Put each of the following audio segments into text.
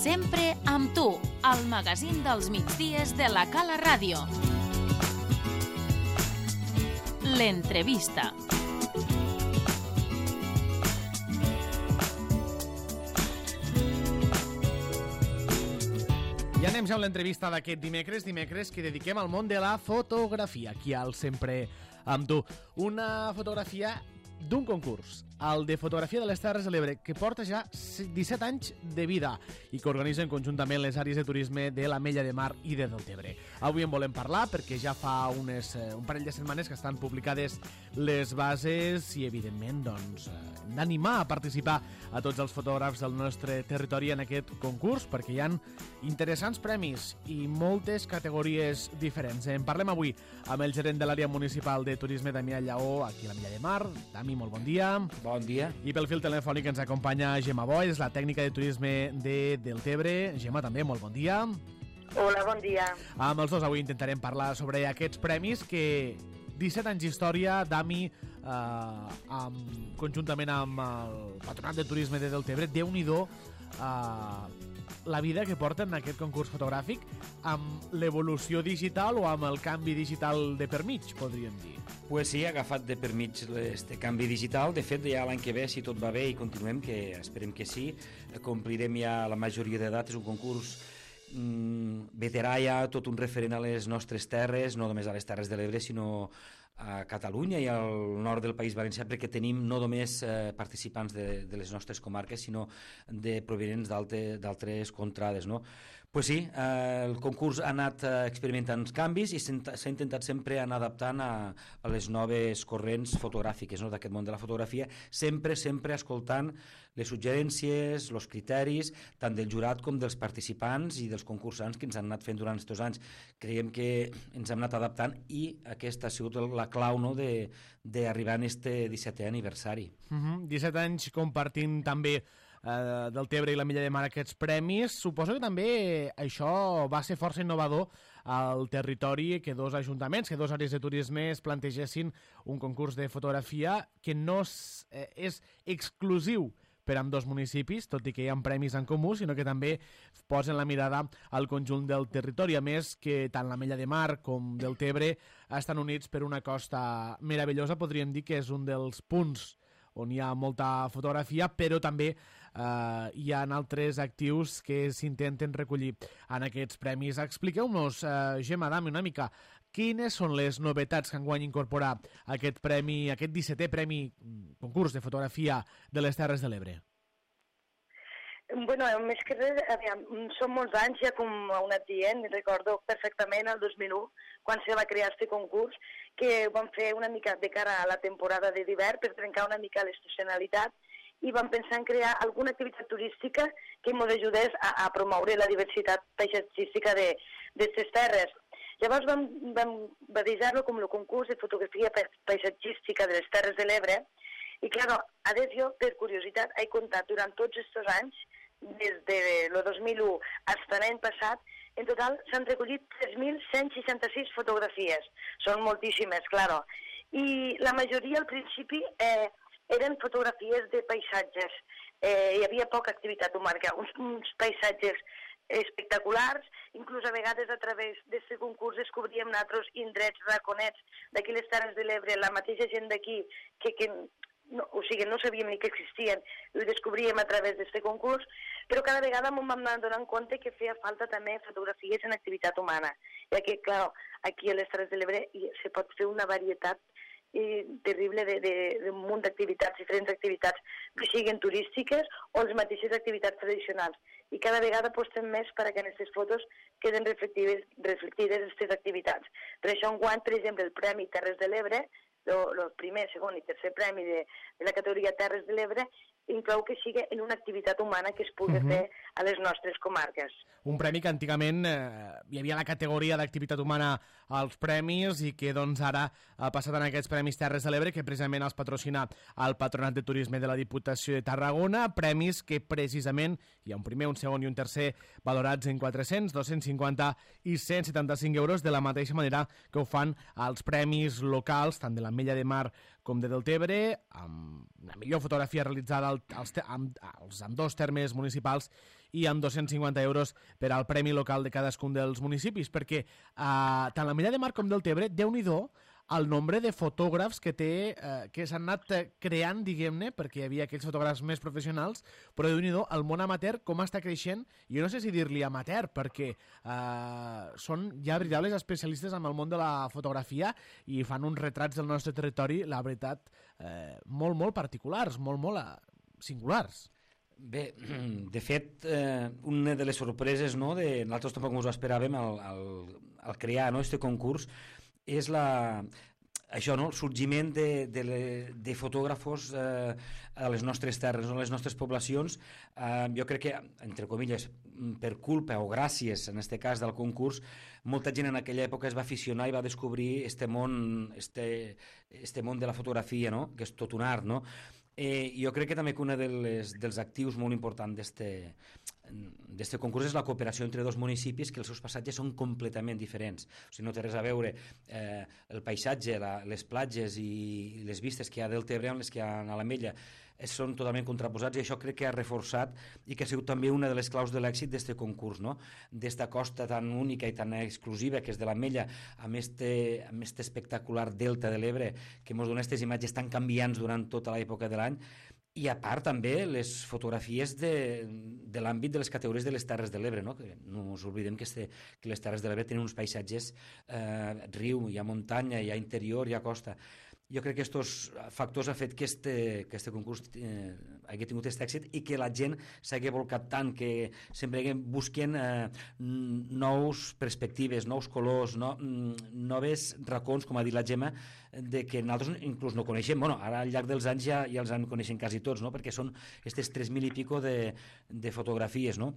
Sempre amb tu, al magazín dels migdies de la Cala Ràdio. L'entrevista. I anem ja amb l'entrevista d'aquest dimecres que dediquem al món de la fotografia, aquí al Sempre amb tu. Una fotografia d'un concurs, el de fotografia de les Terres de l'Ebre, que porta ja 17 anys de vida i que organitzen conjuntament les àrees de turisme de l'Ametlla de Mar i de Deltebre. Avui en volem parlar perquè ja fa un parell de setmanes que estan publicades les bases i, evidentment, doncs, d'animar a participar a tots els fotògrafs del nostre territori en aquest concurs, perquè hi ha interessants premis i moltes categories diferents. En parlem avui amb el gerent de l'àrea municipal de turisme, Damià Lleó, aquí a l'Ametlla de Mar. Dami, molt bon dia. Bon dia. I pel fil telefònic ens acompanya Gemma Boy, és la tècnica de turisme de Deltebre. Gemma, també, molt bon dia. Hola, bon dia. Amb els dos avui intentarem parlar sobre aquests premis que 17 anys d'història, Dami, conjuntament amb el Patronat de Turisme de Deltebre, Déu-n'hi-do la vida que porten en aquest concurs fotogràfic amb l'evolució digital o amb el canvi digital de per mig, podríem dir. Pues sí, ha agafat de per mig este canvi digital. De fet, ja l'any que ve, si tot va bé i continuem, que esperem que sí, complirem ja la majoria d'edat. És un concurs veterà ja, tot un referent a les nostres terres, no només a les Terres de l'Ebre, sinó a Catalunya i al nord del País Valencià, perquè tenim no només participants de les nostres comarques, sinó de provenents d'altres contrades, no? Pues sí, el concurs ha anat experimentant canvis i s'ha intentat sempre anar adaptant a les noves corrents fotogràfiques, no, d'aquest món de la fotografia, sempre escoltant les suggerències, els criteris, tant del jurat com dels participants i dels concursants que ens han anat fent durant aquests anys. Creiem que ens hem anat adaptant i aquesta ha sigut la clau, no, d'arribar en este 17è aniversari. 17 anys compartint també Deltebre i l'Ametlla de Mar aquests premis. Suposo que també això va ser força innovador al territori, que dos ajuntaments, que dos àrees de turisme es plantegessin un concurs de fotografia que no és exclusiu per amb dos municipis, tot i que hi ha premis en comú, sinó que també posen la mirada al conjunt del territori. A més, que tant l'Ametlla de Mar com Deltebre estan units per una costa meravellosa, podríem dir que és un dels punts on hi ha molta fotografia, però també hi ha altres actius que s'intenten recollir en aquests premis. Expliqueu-nos, Gemma, Dami, una mica, quines són les novetats que enguany incorpora aquest premi, aquest 17è premi concurs de fotografia de les Terres de l'Ebre? Bueno, més que res, són molts anys ja, com heu anat dient, i recordo perfectament el 2001, quan se va crear aquest concurs, que vam fer una mica de cara a la temporada d'hivern per trencar una mica l'estacionalitat i vam pensar en crear alguna activitat turística que ens ajudés a promoure la diversitat paisatgística d'aquestes terres. Llavors vam batejar-lo com el concurs de fotografia paisatgística de les Terres de l'Ebre i, clar, a més jo, per curiositat, he comptat durant tots aquests anys, des del 2001 fins a l'any passat, en total s'han recollit 3.166 fotografies. Són moltíssimes, clar. I la majoria, al principi, eren fotografies de paisatges. Hi havia poca activitat humana, uns paisatges espectaculars, inclús a vegades a través d'aquest concurs descobríem altres indrets, raconets d'aquí les Terres de l'Ebre, la mateixa gent d'aquí que no sabíem ni que existien, ho descobríem a través d'aquest concurs, però cada vegada m'ho vam anar donant compte que feia falta també fotografies en activitat humana, ja que, clar, aquí a les Terres de l'Ebre se pot fer una varietat terrible d'un munt d'activitats, diferents activitats que siguin turístiques o les mateixes activitats tradicionals. I cada vegada apostem més perquè en aquestes fotos queden reflectides aquestes activitats. Per això enguany, per exemple, el Premi Terres de l'Ebre, el primer, segon i tercer premi de la categoria Terres de l'Ebre, inclou que sigui en una activitat humana que es pugui fer a les nostres comarques. Un premi que antigament hi havia la categoria d'activitat humana als premis i que doncs ara ha passat en aquests Premis Terres de l'Ebre, que precisament els patrocina el Patronat de Turisme de la Diputació de Tarragona, premis que precisament hi ha un primer, un segon i un tercer valorats en 400, 250 i 175 euros, de la mateixa manera que ho fan els premis locals, tant de l'Ametlla de Mar com de Deltebre, amb la millor fotografia realitzada als ambdós termes municipals i amb 250 euros per al premi local de cadascun dels municipis, perquè tant la Milla de Mar com Deltebre, Déu-n'hi-do el nombre de fotògrafs que s'han anat creant, diguem-ne, perquè hi havia aquells fotògrafs més professionals, però Déu-n'hi-do, el món amateur com està creixent, jo no sé si dir-li amateur, perquè són ja veritables especialistes en el món de la fotografia i fan uns retrats del nostre territori, la veritat, molt, molt particulars, molt, molt singulars. Bé, de fet, una de les sorpreses, no, nosaltres tampoc ens ho esperàvem al crear, no, este concurs, és això, no? El sorgiment de fotògrafos a les nostres terres, a les nostres poblacions. Jo crec que, entre comilles, per culpa o gràcies, en aquest cas, del concurs, molta gent en aquella època es va aficionar i va descobrir este món de la fotografia, no? Que és tot un art, no? Jo crec que també que un dels actius molt importants d'este concurs és la cooperació entre dos municipis que els seus passatges són completament diferents. O sigui, no té res a veure el paisatge, les platges i les vistes que hi ha del Tebre amb les que hi ha a l'Ametlla. Són totalment contraposats i això crec que ha reforçat i que ha sigut també una de les claus de l'èxit d'este concurs, no? D'esta costa tan única i tan exclusiva que és de l'Ametlla, amb este espectacular delta de l'Ebre que ens dona aquestes imatges tan canviants durant tota l'època de l'any. I a part també les fotografies de l'àmbit de les categories de les Terres de l'Ebre, no? Que no ens oblidem que les Terres de l'Ebre tenen uns paisatges riu, hi ha muntanya, hi ha interior, hi ha costa. Jo crec que aquests factors han fet que este concurs hagi tingut aquest èxit i que la gent s'hagi volcat tant, que sempre busquen nous perspectives, nous colors, noves racons, com ha dit la Gemma, que nosaltres inclús no coneixem. Bueno, ara al llarg dels anys ja els en coneixen quasi tots, no? Perquè són aquestes 3.000 i pico de fotografies, no?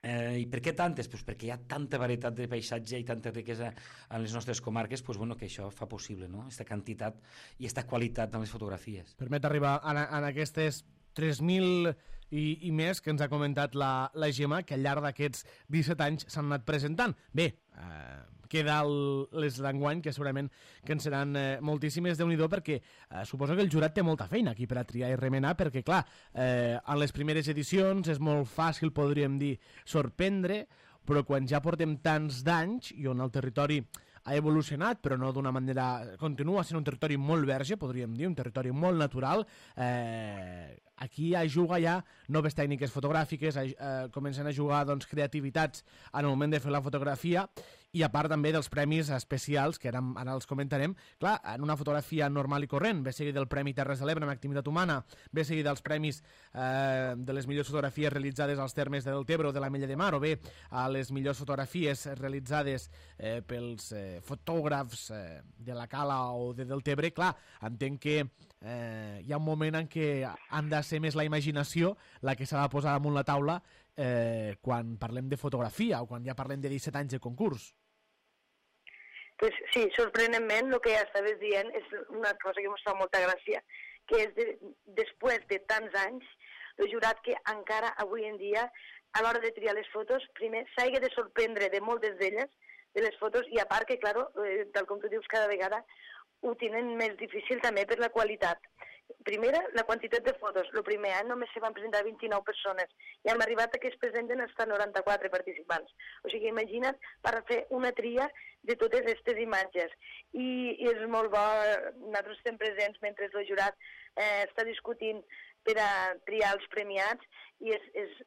I per què tantes? Pues perquè hi ha tanta varietat de paisatge i tanta riquesa en les nostres comarques, pues bueno, que això fa possible, no? Aquesta quantitat i aquesta qualitat en les fotografies. Permet arribar en aquestes 3.000 i més que ens ha comentat la Gemma, que al llarg d'aquests 17 anys s'han anat presentant. Bé, queda les d'enguany, que segurament que en seran moltíssimes, Déu-n'hi-do, perquè suposo que el jurat té molta feina aquí per a triar i remenar, perquè clar, en les primeres edicions és molt fàcil, podríem dir, sorprendre, però quan ja portem tants d'anys i on el territori ha evolucionat, però no d'una manera... Continua sent un territori molt verge, podríem dir, un territori molt natural. Aquí juga ja noves tècniques fotogràfiques, comencen a jugar creativitats en el moment de fer la fotografia, i a part també dels premis especials, que ara els comentarem. Clar, en una fotografia normal i corrent, ve seguit del Premi Terres de l'Ebre en activitat humana, ve seguit dels premis de les millors fotografies realitzades als termes de Deltebre o de l'Ametlla de Mar, o bé a les millors fotografies realitzades pels fotògrafs de la Cala o de Deltebre. Clar, entenc que hi ha un moment en què han de ser més la imaginació la que s'ha de posar damunt la taula quan parlem de fotografia o quan ja parlem de 17 anys de concurs. Pues sí, sorprenentment, el que ja estaves dient és una cosa que ens fa molta gràcia, que és després de tants anys, el jurat que encara avui en dia, a l'hora de triar les fotos, primer s'hagi de sorprendre de moltes d'elles, de les fotos, i a part que, clar, tal com tu dius, cada vegada ho tenen més difícil també per la qualitat. Primera, la quantitat de fotos. El primer any només se van presentar 29 persones i hem arribat a que es presenten fins a 94 participants. O sigui, imagina't per fer una tria de totes aquestes imatges. I és molt bo, nosaltres estem presents mentre el jurat està discutint per a triar els premiats i és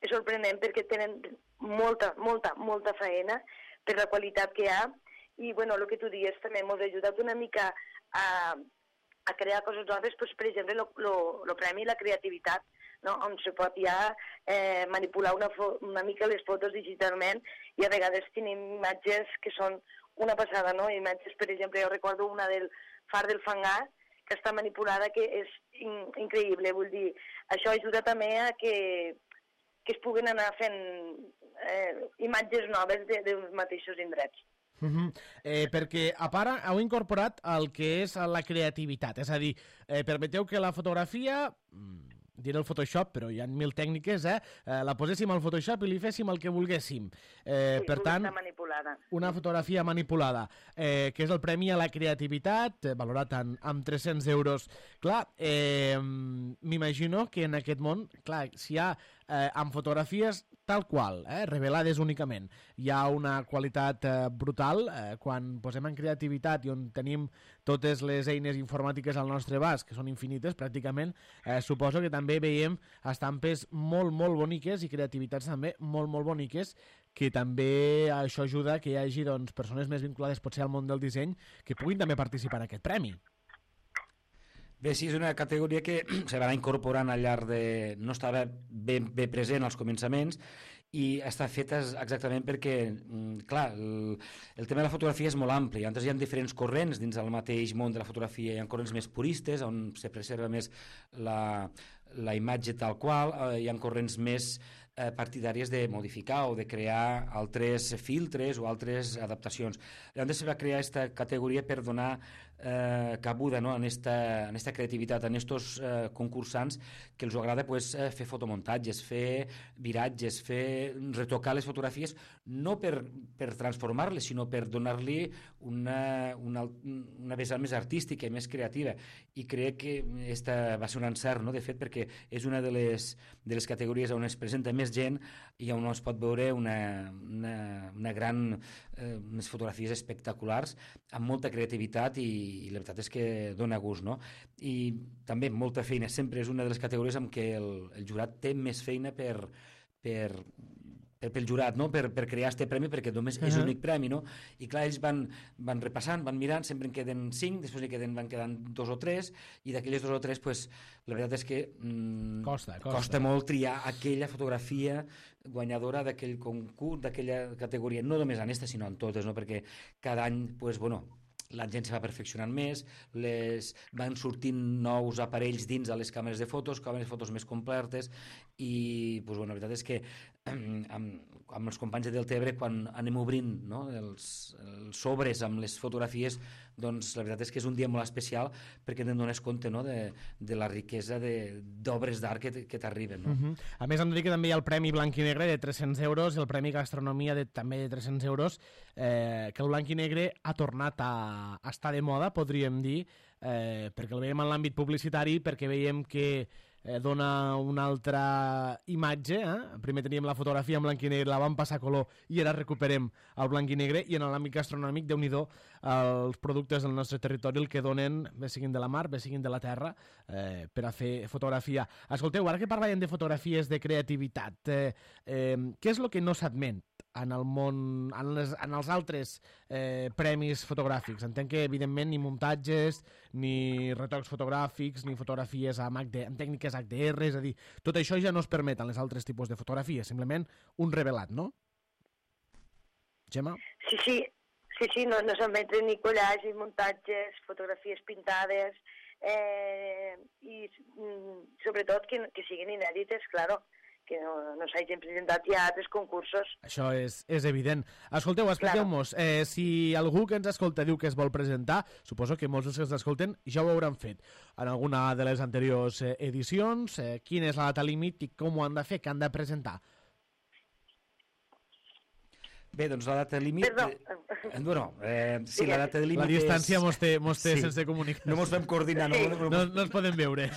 sorprenent perquè tenen molta feina per la qualitat que hi ha. I, bueno, el que tu dius també ens ha ajudat una mica a crear coses noves, doncs, per exemple, el premi la creativitat, no? On se pot ja manipular una mica les fotos digitalment i a vegades tenim imatges que són una passada, no? Imatges, per exemple, jo recordo una del Far del Fangar, que està manipulada, que és increïble, vull dir, això ajuda també a que es puguin anar fent imatges noves dels mateixos indrets. Perquè a part heu incorporat el que és la creativitat, és a dir, permeteu que la fotografia, diré el Photoshop, però hi ha 1000 tècniques, la poséssim al Photoshop i li féssim el que volguéssim. Per tant, una fotografia manipulada, que és el Premi a la Creativitat, valorat amb 300 euros. Clar, m'imagino que en aquest món, clar, si hi ha amb fotografies tal qual, revelades únicament. Hi ha una qualitat brutal quan posem en creativitat i on tenim totes les eines informàtiques al nostre abast, que són infinites pràcticament, suposo que també veiem estampes molt, molt boniques i creativitats també molt, molt boniques, que també això ajuda que hi hagi doncs, persones més vinculades potser al món del disseny que puguin també participar en aquest premi. Bé, sí, és una categoria que se va incorporant al llarg de... no estava ben present als començaments i està feta exactament perquè, clar, el tema de la fotografia és molt ampli. Antes hi ha diferents corrents dins del mateix món de la fotografia. Hi ha corrents més puristes, on se preserva més la imatge tal qual. Hi ha corrents més partidàries de modificar o de crear altres filtres o altres adaptacions. Llavors se va crear aquesta categoria per donar cabuda, no? en esta creativitat, en estos concursants que els agrada pues, fer fotomuntatges, fer viratges, retocar les fotografies, no per transformar-les, sinó per donar-li una vessant més artística i més creativa. I crec que esta va ser un encert, no? De fet, perquè és una de les categories on es presenta més gent i on es pot veure unes fotografies espectaculars amb molta creativitat i la veritat és que dona gust, no? I també molta feina, sempre és una de les categories en què el jurat té més feina pel jurat, no? per crear este premi, perquè només és l'únic premi, no? I clar, ells van repassant, van mirant, sempre en queden 5, després van quedant 2 o 3, i d'aquelles 2 o 3, pues, la veritat és que costa molt triar aquella fotografia guanyadora d'aquell concurs, d'aquella categoria, no només en esta, sinó en totes, no? Perquè cada any, pues, bueno, la gent se va perfeccionant més, van sortint nous aparells dins de les càmeres de fotos més completes i pues, bueno, la veritat és que amb els companys de Deltebre quan anem obrint, no, els sobres amb les fotografies, doncs la veritat és que és un dia molt especial perquè te'n dones compte, no, de la riquesa d'obres d'art que t'arriben, no? A més, hem de dir que també hi ha el Premi Blanc i Negre de 300 euros i el Premi Gastronomia també de 300 euros, que el Blanc i Negre ha tornat a estar de moda, podríem dir, perquè el veiem en l'àmbit publicitari, perquè veiem que dona una altra imatge. Primer teníem la fotografia en blanc i negre, la vam passar a color i ara recuperem el blanc i negre, i en l'àmbit gastronòmic, Déu-n'hi-do, els productes del nostre territori el que donen, bé siguin de la mar, bé siguin de la terra, per a fer fotografia. Escolteu, ara que parlàvem de fotografies de creativitat, què és el que no s'admet en el món, en els altres premis fotogràfics? Entenc que, evidentment, ni muntatges, ni retocs fotogràfics, ni fotografies amb tècniques HDR, és a dir, tot això ja no es permet en els altres tipus de fotografies, simplement un revelat, no? Gemma? Sí, no s'admeten ni collage, ni muntatges, fotografies pintades, i sobretot que siguin inèdites, claro, que no s'hagin presentat ja a altres concursos. Això és evident. Escolteu, expliqueu-nos, si algú que ens escolta diu que es vol presentar, suposo que molts dels que ens escolten ja ho hauran fet en alguna de les anteriors edicions. Quina és la data límit i com ho han de fer, què han de presentar? Bé, doncs la data límit... sí, la data límit la distància mos té sense comunicar. No mos vam coordinar. No es poden veure.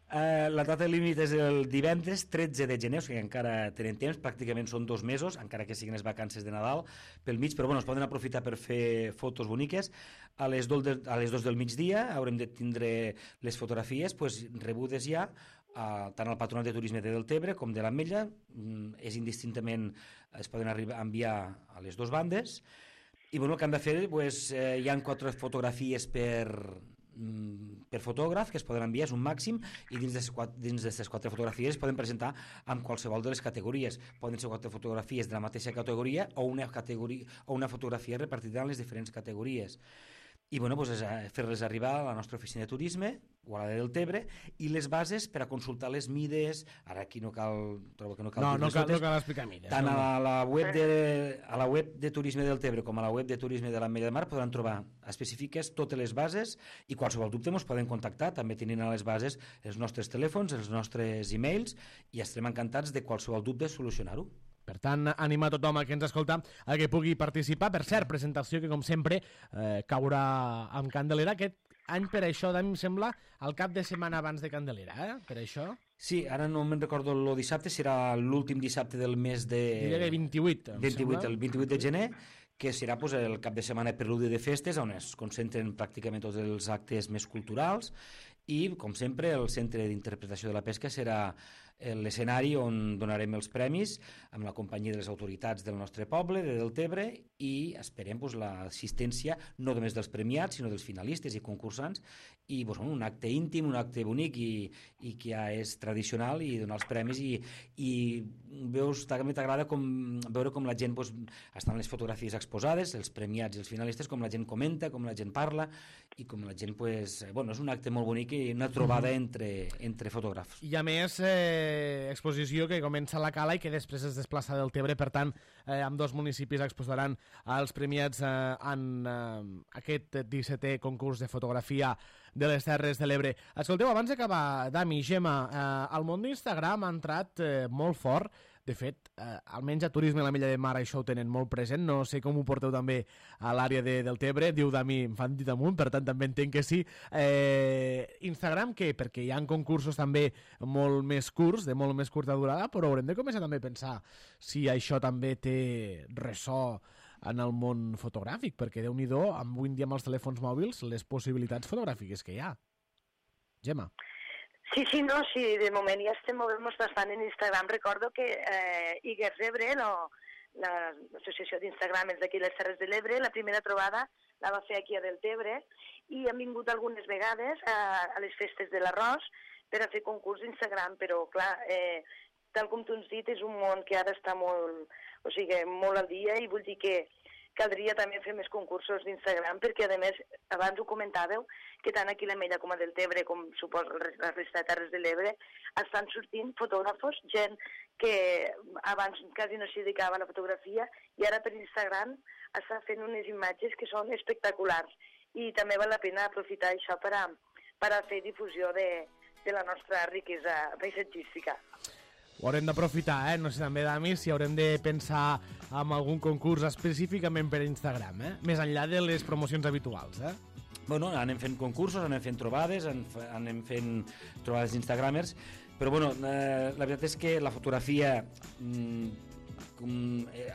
La data límit és el divendres 13 de gener, o sigui, encara tenen temps, pràcticament són 2 mesos, encara que siguin les vacances de Nadal pel mig, però bueno, es poden aprofitar per fer fotos boniques. A les 2 del migdia haurem de tindre les fotografies rebudes ja, tant al Patronat de Turisme de Deltebre com de l'Ametlla. És indistintament, es poden enviar a les 2 bandes, i bueno, el que han de fer, hi ha 4 fotografies per fotògraf que es poden enviar, és un màxim, i dins d'aquestes 4 fotografies es poden presentar amb qualsevol de les categories. Poden ser 4 fotografies de la mateixa categoria o una fotografia repartida en les diferents categories. I bueno, fer-les arribar a la nostra oficina de turisme o a la de Deltebre, i les bases per a consultar les mides. Ara aquí no cal explicar mides. Tant a la web de Turisme de Deltebre com a la web de Turisme de l'Ametlla de Mar podran trobar específiques totes les bases, i qualsevol dubte ens poden contactar. També tenint a les bases els nostres telèfons, els nostres e-mails, i estarem encantats de qualsevol dubte solucionar-ho. Per tant, animar tothom que ens escolta a que pugui participar. Per cert, presentació que, com sempre, caurà amb candelera aquest any per això, em sembla, al cap de setmana abans de Candelera, per això. Sí, ara no me'n recordo el dissabte, serà l'últim dissabte del mes de... Diria que 28, el 28 de gener, que serà el cap de setmana preludi de festes, on es concentren pràcticament tots els actes més culturals, i, com sempre, el Centre d'Interpretació de la Pesca serà l'escenari on donarem els premis amb la companyia de les autoritats del nostre poble, de Deltebre, i esperem l'assistència no només dels premiats, sinó dels finalistes i concursants, i un acte íntim, un acte bonic i que ja és tradicional, i donar els premis, i veus, també t'agrada veure com la gent estan les fotografies exposades, els premiats i els finalistes, com la gent comenta, com la gent parla, i com la gent, és un acte molt bonic i una trobada entre fotògrafs. I a més, exposició que comença a la Cala i que després es desplaça del Tebre, per tant, amb dos municipis exposaran els premiats en aquest 17è concurs de fotografia de les Terres de l'Ebre. Escolteu, abans d'acabar, Dami, Gemma, el món d'Instagram ha entrat molt fort. De fet, almenys a Turisme a la Milla de Mar això ho tenen molt present. No sé com ho porteu també a l'àrea del Tebre. Diu Dami, em fan dit amunt, per tant també entenc que sí. Instagram què? Perquè hi ha concursos també molt més curts, de molt més curta durada, però haurem de començar també a pensar si això també té ressò en el món fotogràfic, perquè Déu-n'hi-do, avui en dia amb els telèfons mòbils, les possibilitats fotogràfiques que hi ha. Gemma. Sí, de moment ja estem movent-nos bastant en Instagram. Recordo que Iguers Ebre, l'associació d'Instagramers d'aquí les Terres de l'Ebre, la primera trobada la va fer aquí a Deltebre, i han vingut algunes vegades a les festes de l'arròs per a fer concurs d'Instagram, però clar, tal com tu ens dit, és un món que ara està molt al dia, i vull dir que caldria també fer més concursos d'Instagram, perquè a més, abans ho comentàveu, que tant aquí a l'Ametlla com a Deltebre, com suposo la resta de Terres de l'Ebre, estan sortint fotògrafos, gent que abans quasi no s'hi dedicava a la fotografia, i ara per Instagram està fent unes imatges que són espectaculars, i també val la pena aprofitar això per a fer difusió de la nostra riquesa paisatgística. Ho haurem d'aprofitar, no sé també, Dami, si haurem de pensar en algun concurs específicament per Instagram, més enllà de les promocions habituals. Anem fent concursos, anem fent trobades, anem fent trobades d'Instagramers, però la veritat és que la fotografia,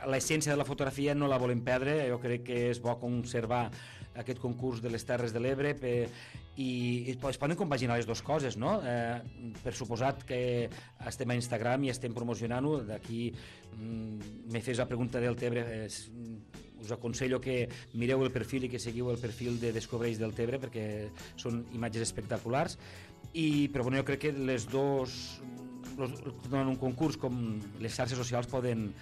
l'essència de la fotografia no la volem perdre. Jo crec que és bo conservar aquest concurs de les Terres de l'Ebre i es poden compaginar les dues coses, no? Per suposat que estem a Instagram i estem promocionant-ho. D'aquí me fes la pregunta del Tebre, us aconsello que mireu el perfil i que seguiu el perfil de Descobreix del Tebre, perquè són imatges espectaculars, però jo crec que les dues, en un concurs com les xarxes socials, poden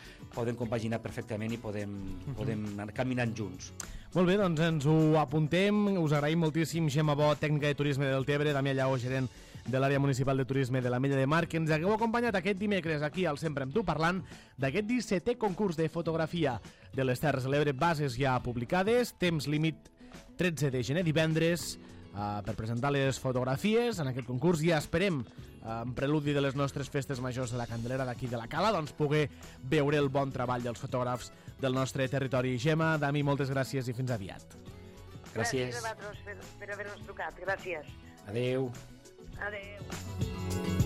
compaginar perfectament i podem anar caminant junts. Molt bé, doncs ens ho apuntem. Us agraïm moltíssim, Gemma Bo, tècnica de turisme del Tebre, Damià Lleó, gerent de l'àrea municipal de turisme de l'Ametlla de Mar, que ens hagueu acompanyat aquest dimecres aquí al Sempre amb tu, parlant d'aquest 17è concurs de fotografia de les Terres de l'Ebre. Bases ja publicades, temps límit 13 de gener, divendres, per presentar les fotografies en aquest concurs. Ja esperem, en preludi de les nostres festes majors de la Candelera d'aquí de la Cala, doncs poder veure el bon treball dels fotògrafs del nostre territori. Gemma, Dami, moltes gràcies i fins aviat. Gràcies a vosaltres per haver-nos trucat. Gràcies. Adéu. Adéu.